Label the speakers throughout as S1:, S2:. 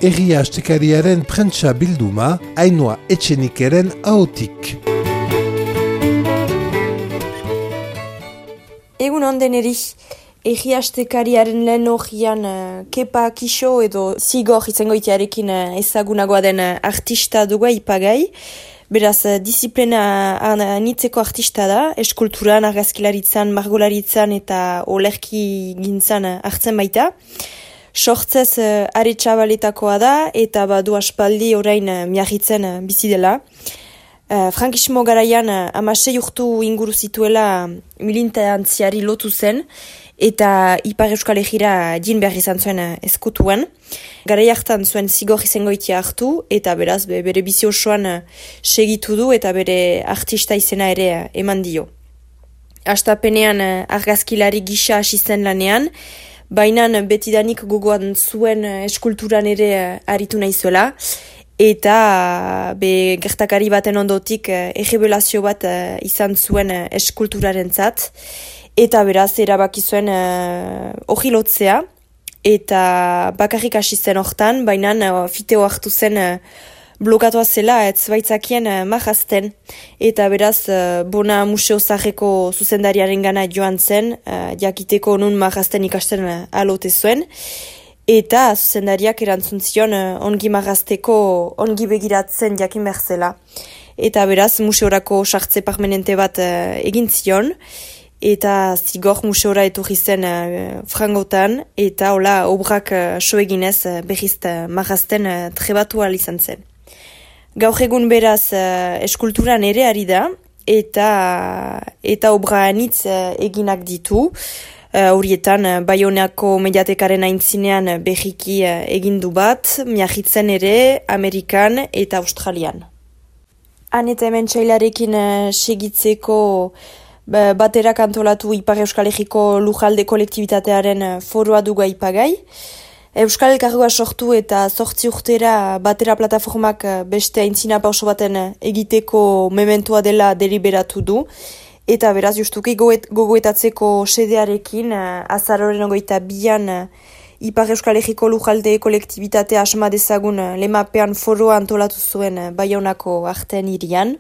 S1: Egia astekariaren prentsa bilduma, Ainhoa Etxenikeren ahotik.
S2: Egun onden eri, egia astekariaren lehen horian Kepa Kixo edo Zigor izango itearekin ezagunagoa den artista dugu ipagai. Beraz, disiplina anitzeko artista da, eskulturan, argazkilaritzan, margolaritzan eta olerki gintzan hartzen baita. Sortzez Aretxabaletakoa da eta badu aspaldi orain miagitzen bizi dela. Frankismo garaian 16 urtu inguru zituela militantziari lotu zen eta Ipar Euskal Herrira jin behar izan zuen ezkutuan. Garai hartan zuen Zigor izengoitia hartu eta beraz bere bizi osoan segitu du eta bere artista izena ere eman dio. Hastapenean argazkilari gisa hasi zen lanean, baina betidanik gogoan zuen eskulturan ere aritu nahizuela, eta gertakari baten ondotik errebelazio bat izan zuen eskulturarentzat, eta beraz erabaki zuen hori lotzea, eta bakarrik hasi zen hortan, baina fiteo hartu zen blokatua zela ez baitzakien mahazten, eta beraz Bona Museo Zaharreko zuzendariaren gana joan zen, jakiteko nun mahazten ikasten alote zuen, eta zuzendariak erantzun zion ongi mahazteko ongi begiratzen jakin behar zela. Eta beraz museorako sartze permanente bat egin zion, eta Zigor museora etorri zen frangotan, eta hola obrak so eginez berriz mahazten trebatu ahal izan zen. Gaur egun beraz eskulturan ere ari da, eta obra anitz eginak ditu. Horietan Baionako mediatekaren aintzinean berriki egindu bat, miagitzen ere Amerikan eta Australian. Han eta hemen txailarekin segitzeko baterak antolatu Ipar Euskal Herriko lujalde kolektibitatearen foroa dugu ipagai. Euskal Elkargoa sortu eta 8 urtera batera plataformak beste aintzina pauso baten egiteko mementoa dela deliberatu du. Eta beraz justuki gogoetatzeko sedearekin azaroren 22an Ipar Euskal Herriko lujalde kolektibitatea asma dezagun lemapean foroa antolatu zuen Baionako arten hirian.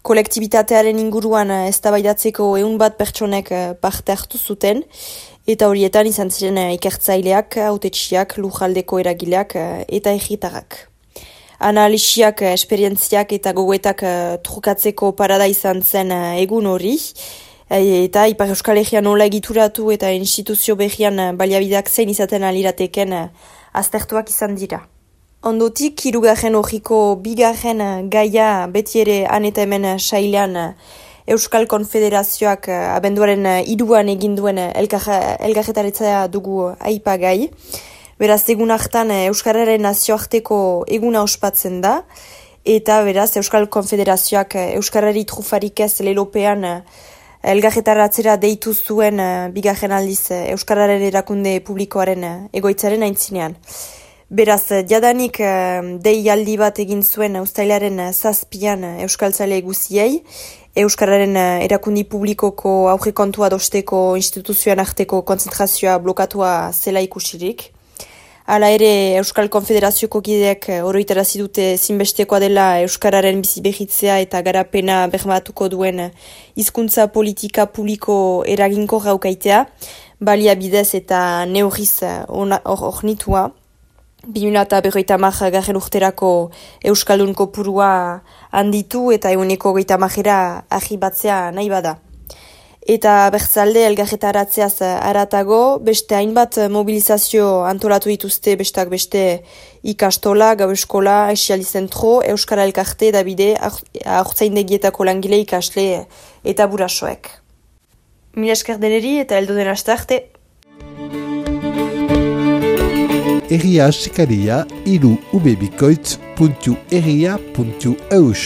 S2: Kolektibitatearen inguruan eztabaidatzeko 100 pertsonek parte hartu zuten, eta horietan izan ziren ikertzaileak, hautetsiak, lujaldeko eragileak eta herritarrak. Analisiak, esperientziak eta gogoetak trukatzeko parada izan zen egun hori, eta Ipar Euskal Herria nola egituratu eta instituzio berrian baliabideak zein izaten alirateken aztertuak izan dira. Ondotik, 3. horriko 2. gaia beti ere han eta hemen sailean Euskal Konfederazioak abenduaren 3an eginduen elkarretaritza dugu aipagai. Beraz, egun hartan Euskararen nazioarteko eguna ospatzen da, eta beraz Euskal Konfederazioak Euskarari trufarik ez lelopean elkarretaratzera deitu zuen 2. aldiz Euskararen erakunde publikoaren egoitzaren aintzinean. Beraz, jadanik deialdi bat egin zuen uztailaren 7an euskaltzale guziei, Euskararen erakundi publikoko aurrekontua dosteko instituzioan arteko konzentrazioa blokatua zela ikusirik. Hala ere, Euskal Konfederazioko kideek oroitarazi dute zinbestekoa dela Euskararen bizibehitzea eta garapena bermatuko duen hizkuntza politika publiko eraginko gaukaitea, baliabidez eta neurriz ornitua. 2050 urterako Euskaldun kopurua handitu eta 130 ahibatzea nahi bada. Eta bertzalde elgarretaratzeaz aratago, beste hainbat mobilizazio antolatu dituzte bestak beste ikastola, gau eskola, esialdi zentro, Euskara Elkarte, Dabide, aurtzaindegietako langile ikasle eta burasoek. Mila esker deneri eta heldu den aste arte.
S1: Egia asekaria irubebikoitz.egia.eus